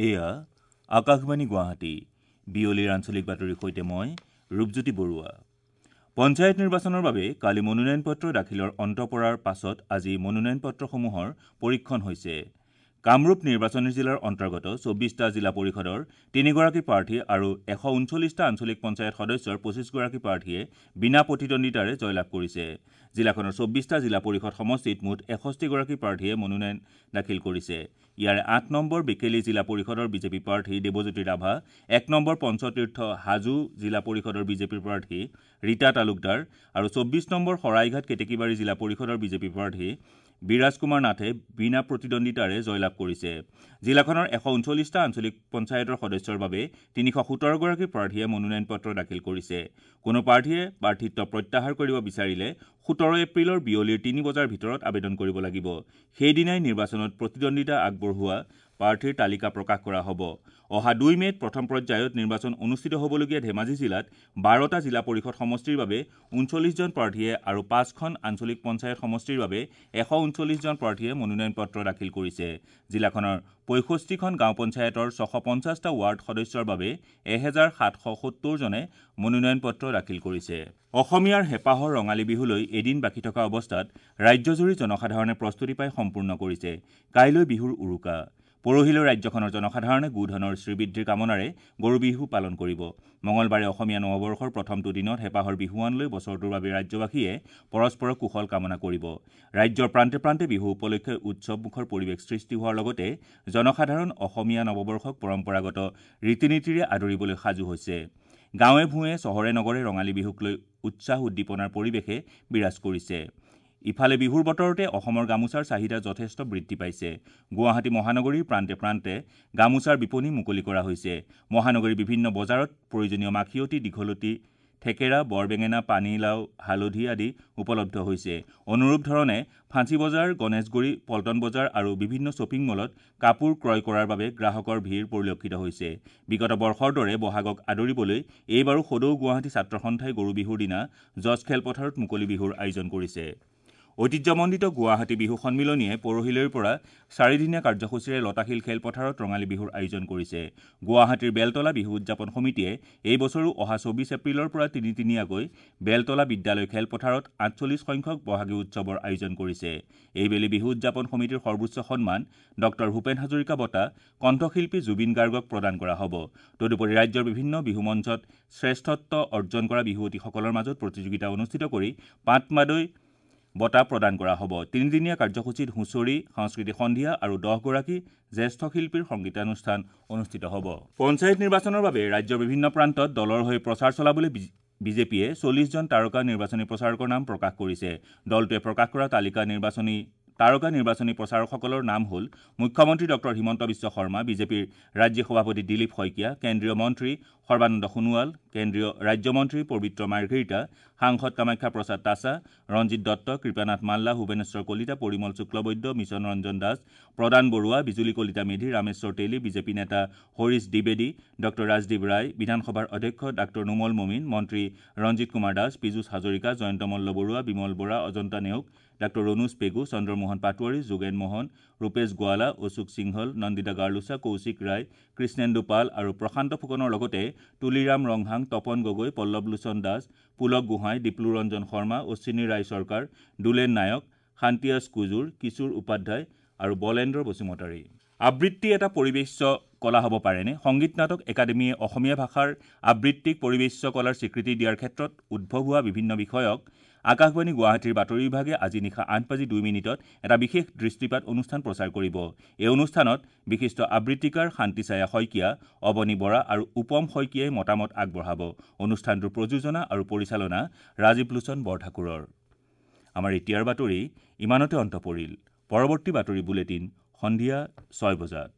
এয়া আকাশবাণী গুৱাহাটী। বিয়লিৰ আঞ্চলিক বাতৰিৰ সৈতে মই ৰূপজ্যোতি বৰুৱা। পঞ্চায়ত নিৰ্বাচনৰ বাবে কালি মনোনয়ন পত্ৰ দাখিলৰ অন্ত পৰাৰ পাছত আজি মনোনয়ন পত্ৰসমূহৰ পৰীক্ষণ হৈছে। কামৰূপ নিৰ্বাচনী জিলাৰ অন্তৰ্গত 24টা জিলা পৰিষদৰ 3গৰাকী প্ৰাৰ্থী আৰু 139টা আঞ্চলিক পঞ্চায়ত সদস্যৰ 25গৰাকী প্ৰাৰ্থীয়ে বিনা প্ৰতিদ্বন্দ্বিতাৰে জয়লাভ কৰিছে। জিলাখনৰ 24টা জিলা পৰিষদ সমষ্টিত মুঠ 61গৰাকী প্ৰাৰ্থীয়ে মনোনয়ন দাখিল কৰিছে। ইয়াৰে 8 নম্বৰ বেকেলী জিলা পৰিষদৰ বিজেপি প্ৰাৰ্থী দেৱজ্যোতি ৰাভা, 1 নম্বৰ পঞ্চতীৰ্থ হাজো জিলা পৰিষদৰ বিজেপিৰ প্ৰাৰ্থী ৰীতা তালুকদাৰ আৰু 24 নম্বৰ শৰাইঘাট কেতেকীবাৰী জিলা পৰিষদৰ বিজেপি প্ৰাৰ্থী বিৰাজ কুমাৰ নাথে বিনা প্ৰতিদ্বন্দ্বিতাৰে জয়লাভ কৰিছে। জিলাখনৰ 139টা আঞ্চলিক পঞ্চায়তৰ সদস্যৰ বাবে 317গৰাকী প্ৰাৰ্থীয়ে মনোনয়ন পত্ৰ দাখিল কৰিছে। কোনো প্ৰাৰ্থীয়ে প্ৰাৰ্থিত্ব প্ৰত্যাহাৰ কৰিব বিচাৰিলে 17 এপ্ৰিলৰ বিয়লিৰ 3 বজাৰ ভিতৰত আবেদন কৰিব লাগিব। সেইদিনাই নিৰ্বাচনত প্ৰতিদ্বন্দ্বিতা আগবঢ়োৱা প্ৰাৰ্থীৰ তালিকা প্ৰকাশ কৰা হ'ব। অহা 2 মে'ত প্ৰথম পৰ্যায়ত নিৰ্বাচন অনুষ্ঠিত হ'বলগীয়া ধেমাজি জিলাত 12টা জিলা পৰিষদ সমষ্টিৰ বাবে 39জন প্ৰাৰ্থীয়ে আৰু 5খন আঞ্চলিক পঞ্চায়ত সমষ্টিৰ বাবে 139জন প্ৰাৰ্থীয়ে মনোনয়ন পত্ৰ দাখিল কৰিছে। জিলাখনৰ 65খন গাঁও পঞ্চায়তৰ 650টা ৱাৰ্ড সদস্যৰ বাবে 1770জনে মনোনয়ন পত্ৰ দাখিল কৰিছে। অসমীয়াৰ হেঁপাহৰ ৰঙালী বিহুলৈ এদিন বাকী থকা অৱস্থাত ৰাজ্যজুৰি জনসাধাৰণে প্ৰস্তুতি পাই সম্পূৰ্ণ কৰিছে। কাইলৈ বিহুৰ উৰুকা। পৰহিলৈ ৰাজ্যখনৰ জনসাধাৰণে গোধনৰ শ্ৰীবৃদ্ধিৰ কামনাৰে গৰু বিহু পালন কৰিব। মঙলবাৰে অসমীয়া নৱবৰ্ষৰ প্ৰথমটো দিনত হেঁপাহৰ বিহুৱান লৈ বছৰটোৰ বাবে ৰাজ্যবাসীয়ে পৰস্পৰৰ কুশল কামনা কৰিব। ৰাজ্যৰ প্ৰান্তে প্ৰান্তে বিহু উপলক্ষে উৎসৱমুখৰ পৰিৱেশ সৃষ্টি হোৱাৰ লগতে জনসাধাৰণ অসমীয়া নৱবৰ্ষক পৰম্পৰাগত ৰীতি নীতিৰে আদৰিবলৈ সাজু হৈছে। গাঁৱে ভূঞে চহৰে নগৰে ৰঙালী বিহুক লৈ উৎসাহ উদ্দীপনাৰ পৰিৱেশে বিৰাজ কৰিছে। ইফালে বিহুৰ বতৰতে অসমৰ গামোচাৰ চাহিদা যথেষ্ট বৃদ্ধি পাইছে। গুৱাহাটী মহানগৰীৰ প্ৰান্তে প্ৰান্তে গামোচাৰ বিপণী মুকলি কৰা হৈছে। মহানগৰীৰ বিভিন্ন বজাৰত প্ৰয়োজনীয় মাখিয়তী, দীঘলতি, থেকেৰা, বৰবেঙেনা, পানীলাও, হালধি আদি উপলব্ধ হৈছে। অনুৰূপ ধৰণে ফাঁচী বজাৰ, গণেশগুৰি, পল্টন বজাৰ আৰু বিভিন্ন শ্বপিং মলত কাপোৰ ক্ৰয় কৰাৰ বাবে গ্ৰাহকৰ ভিৰ পৰিলক্ষিত হৈছে। বিগত বৰ্ষৰ দৰে বহাগক আদৰিবলৈ এইবাৰো সদৌ গুৱাহাটী ছাত্ৰ সন্থাই গৰু বিহুৰ দিনা জজ খেলপথাৰত মুকলি বিহুৰ আয়োজন কৰিছে। ঐতিহ্যমণ্ডিত গুৱাহাটী বিহু সন্মিলনীয়ে পৰহিলৈৰ পৰা চাৰিদিনীয়া কাৰ্যসূচীৰে লতাশিল খেলপথাৰত ৰঙালী বিহুৰ আয়োজন কৰিছে। গুৱাহাটীৰ বেলতলা বিহু উদযাপন সমিতিয়ে এই বছৰো অহা 24 এপ্ৰিলৰ পৰা তিনিদিনীয়াকৈ বেলতলা বিদ্যালয় খেলপথাৰত 48 সংখ্যক বহাগী উৎসৱৰ আয়োজন কৰিছে। এইবেলি বিহু উদযাপন সমিতিৰ সৰ্বোচ্চ সন্মান ডক্টৰ ভূপেন হাজৰিকা বঁটা কণ্ঠশিল্পী জুবিন গাৰ্গক প্ৰদান কৰা হ'ব। তদুপৰি ৰাজ্যৰ বিভিন্ন বিহু মঞ্চত শ্ৰেষ্ঠত্ব অৰ্জন কৰা বিহুৱতীসকলৰ মাজত প্ৰতিযোগিতা অনুষ্ঠিত কৰি পাটমাদৈ বঁটা প্ৰদান কৰা হ'ব। তিনিদিনীয়া কাৰ্যসূচীত হুঁচৰি, সাংস্কৃতিক সন্ধিয়া আৰু 10গৰাকী জ্যেষ্ঠ শিল্পীৰ সংগীতানুষ্ঠান অনুষ্ঠিত হ'ব। পঞ্চায়ত নিৰ্বাচনৰ বাবে ৰাজ্যৰ বিভিন্ন প্ৰান্তত দলৰ হৈ প্ৰচাৰ চলাবলৈ বিজেপিয়ে 40জন তাৰকা নিৰ্বাচনী প্ৰচাৰকৰ নাম প্ৰকাশ কৰিছে। দলটোৱে প্ৰকাশ কৰা তালিকা তাৰকা নিৰ্বাচনী প্ৰচাৰকসকলৰ নাম হ'ল মুখ্যমন্ত্ৰী ডক্টৰ হিমন্ত বিশ্ব শৰ্মা, বিজেপিৰ ৰাজ্যিক সভাপতি দিলীপ শইকীয়া, কেন্দ্ৰীয় মন্ত্ৰী সৰ্বানন্দ সোণোৱাল, কেন্দ্ৰীয় ৰাজ্যমন্ত্ৰী পবিত্ৰ মাৰ্ঘেৰিটা, সাংসদ কামাখ্যা প্ৰসাদ তাছা, ৰঞ্জিত দত্ত, কৃপানাথ মাল্লা, ভুৱনেশ্বৰ কলিতা, পৰিমল শুক্লবৈদ্য, মিছন ৰঞ্জন দাস, প্ৰদান বৰুৱা, বিজুলী কলিতা মেধি, ৰামেশ্বৰ তেলী, বিজেপি নেতা হৰিশ দ্বিবেদী, ডক্টৰ ৰাজদীপ ৰায়, বিধানসভাৰ অধ্যক্ষ ডাক্তৰ নোমল মমিন, মন্ত্ৰী ৰঞ্জিত কুমাৰ দাস, পীযুষ হাজৰিকা, জয়ন্ত মল্ল বৰুৱা, বিমল বৰা, অজন্তা নেওগ, ডাক্তৰ ৰণোজ পেগু, চন্দ্ৰমোহন পাটোৱাৰী, যোগেন মহন, ৰূপেশ গোৱালা, অশোক সিংহল, নন্দিতা গাৰ্লোচা, কৌশিক ৰায়, কৃষ্ণেন্দু পাল আৰু প্ৰশান্ত ফুকনৰ লগতে তুলিৰাম ৰংহাং, তপন গগৈ, পল্লৱ লোচন দাস, পুলক গোহাঁই, দীপলু ৰঞ্জন শৰ্মা, অশ্বিনী ৰায় চৰকাৰ, দুলেন নায়ক, শান্তিয়াছ কুজুৰ, কিশোৰ উপাধ্যায় আৰু বলেন্দ্ৰ বসুমতাৰী। আবৃত্তি এটা পৰিৱেশ্য কলা হ'ব পাৰেনে? সংগীত নাটক একাডেমীয়ে অসমীয়া ভাষাৰ আবৃত্তিক পৰিৱেশ্য কলাৰ স্বীকৃতি দিয়াৰ ক্ষেত্ৰত উদ্ভৱ হোৱা বিভিন্ন বিষয়ক আকাশবাণী গুৱাহাটীৰ বাতৰি বিভাগে আজি নিশা 8:02 এটা বিশেষ দৃষ্টিপাত অনুষ্ঠান প্ৰচাৰ কৰিব। এই অনুষ্ঠানত বিশিষ্ট আবৃত্তিকাৰ শান্তিছায়া শইকীয়া, অৱনী বৰা আৰু উপম শইকীয়াই মতামত আগবঢ়াব। অনুষ্ঠানটোৰ প্ৰযোজনা আৰু পৰিচালনা ৰাজীৱ লোচন বৰঠাকুৰৰ। আমাৰ এতিয়াৰ বাতৰি ইমানতে অন্ত পৰিল। পৰৱৰ্তী বাতৰি বুলেটিন সন্ধিয়া 6 বজাত।